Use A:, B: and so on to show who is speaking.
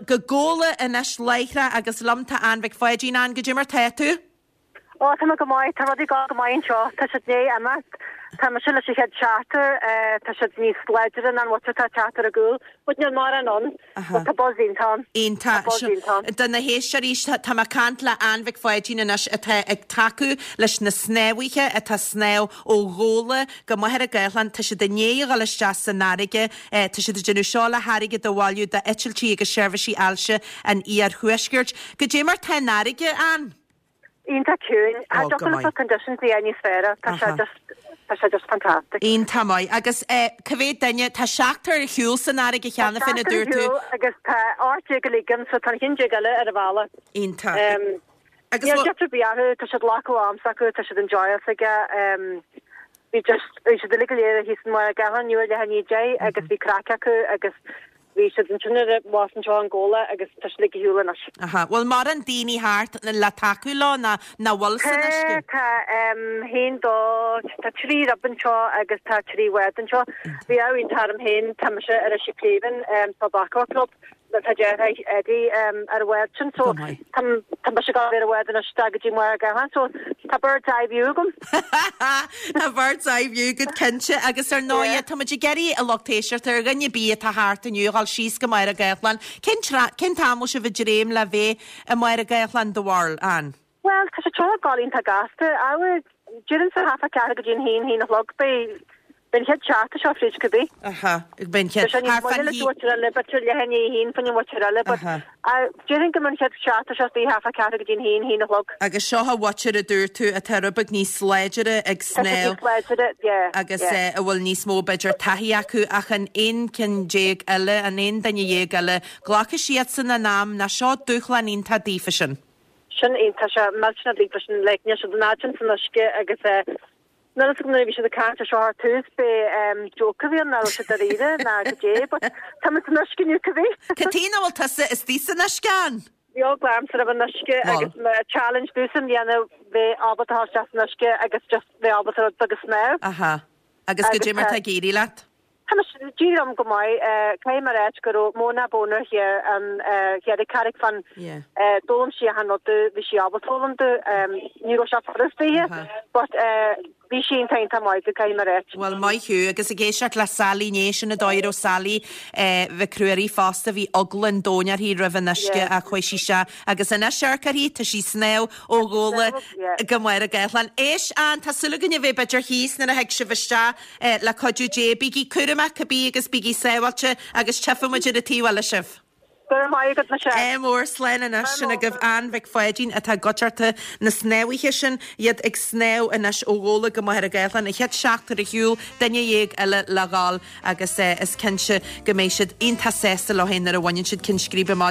A: go Gabhla anois láithreach agus liom tá Ann Mhic Pháidín. Ann, goidé mar tá tú?
B: Ó, tá mé go maith. Tá rudaí ag dul go maith anseo. Tá siad i ndiaidh imeacht. Tá mise leis an chéad seachtar. Tá siad níos láidre ná an mhuintir atá ag teacht ar a gcúl. But níl mórán ann. But tá buzz iontach ann.
A: Iontach.
B: Tá buzz iontach ann.
A: Do na héisteoirí, tá mé ag caint le Ann Mhic Pháidín anois atá ag tacú leis na snámhaithe atá ag snámh ó Ghabhla go Machaire Gathlán. Tá siad i ndiaidh a dhul isteach san fharraige. Tá siad ag déanamh seo le hairgead a bhailiú d'eitiltí agus seirbhísí ailse an iarthuaiscirt. Goidé mar tá an fharraige, Ann?
B: Iontach ciúin.
A: Ó, go
B: Cha dtiocfadh
A: maith.
B: leis na conditions a dhéanamh níos fearr. Tá sé just, tá sé just fantastic.
A: Iontach maith. Agus cá mhéad duine, tá seachtar ar shiúl san fharraige
B: Tá
A: cheana féin a
B: seachtar ar
A: dúirt tú.
B: shiúl agus tá 18 uilig ann so tá an ceann déag eile ar an bhealach.
A: Iontach. Agus
B: Níl
A: bhfuil.
B: deifir ar bith orthu, tá siad ag glacadh am s'acu, tá siad enjoyáil s'aige. Bhí just, bhí siad uilig go léir thíos in Machaire Gathlán inniu ar leath i ndiaidh 10 agus bhí craic acu agus Bhí siad ansin ar an bhus anseo in Gabhla agus tá siad uilig ar shiúl anois.
A: Aha. Bhfuil mórán daoine thart le tacú leo nó nach bhfuil san
B: Tá,
A: uisce?
B: tá, haon, dó, tá trí rib anseo agus tá trí bhád anseo. Bhí ádh iontach orm féin, tá mise ar an Cliamhain Sub-Aqua Club, tá deartháir Eddie ar an bhád sin so
A: Go maith.
B: tá tá mise ag dul ar an bhád anois isteach go dtí Machaire Gathlán so tá bird's eye view agam.
A: Tá bird's eye view agat cinnte agus ar ndóigh
B: Yeah.
A: tá muid ag iarraidh a lucht éisteachta ar dhuine ar bith atá thart inniu a dhul síos go Machaire Gathlán. Cén tra- cén t-am bhfuil sibh ag dréim le bheith i Machaire Gathlán do bharúil, Ann?
B: Bhuel, tá sé seo ag dul iontach gasta. I would, déarfainnse half a ceathair go dtí an haon, haon a chlog, beidh, beidh an chéad seachtar seo fríd cibé.
A: Aha, beidh an chéad,
B: Tá sé níos
A: thart
B: moille
A: fán
B: le
A: haon.
B: dúirt eile, b'fhéidir leath i ndiaidh a haon fán mhuintir eile, but
A: Aha.
B: déarfainn go mbeidh an chéad seachtar seo istigh half a ceathair go dtí an haon, haon a chlog.
A: Agus seo an mhuintir a dúirt tú atá rud beag níos láidire ag
B: Tá siad
A: snámh
B: níos láidire, yeah,
A: agus
B: yeah.
A: a bhfuil níos mó b'fhéidir taithí acu ach an aon ceann déag eile, an aon duine dhéag eile, glacfaidh siadsan a n-am, nó seo dúshlán iontach daofa sin.
B: Sin iontach, sé millteanach daofa sin, like níl siad an fhad sin san uisce agus eh, níl fhios agam nuair a bhí siad ag caint ar seo ar tús b'é em joke a bhí ann ná raibh siad dáiríre ná goidé but tá muid san uisce inniu cibé.
A: Cad chuige nach bhfuil tusa istigh san uisce Ann?
B: Bhí eagla ormsa roimh an uisce
A: Bhuel.
B: agus mo challenge domhsa i mbliana bheith ábalta a dhul isteach san uisce agus just bheith ábalta rud beag a shnámh.
A: Aha. Agus
B: Agus
A: goidé mar
B: tá
A: tá ag éirí leat?
B: Tá mise, d'éirigh liom go maith. Caithfidh mé a ráit go raibh Mona Boner thiar an thiar ag Carraig Finn. D'fhoghlaim sí achan rud domh, bhí sí ábalta foghlaim domh. Ní raibh sé furast daoithe but bhí sí iontach iontach maith domh, caithfidh mé a ráit.
A: Bhuel, maith thú. Agus ag éisteacht le Sally inné, sin an dóigh a raibh Sally Mhic Ruairí fosta, bhí eagla an domhain uirthi roimh an uisce ach chuaigh sí isteach agus anois amharc uirthi, tá sí ag snámh ó Ghabhla go Machaire Gathlán. Éist, Ann, tá súil againn a bheith b'fhéidir thíos nuair a thig sibh isteach. Le cuidiú Dé, bígí cúramach cibé agus bígí sábháilte agus tchífidh muid ar an taobh eile sibh.
B: Go raibh maith agat, Michelle.
A: Ádh mór, slán anois. Sin agaibh Ann Mhic Pháidín atá i gcuideachta na snámhaithe sin, iad ag snámh anois ó Ghabhla go Machaire Gathlán, an chéad seachtar ar shiúl, duine dhéag eile le dhul agus is cinnte go mbeidh siad iontach sásta leo féin nuair a bhaineann siad ceann scríbe amach.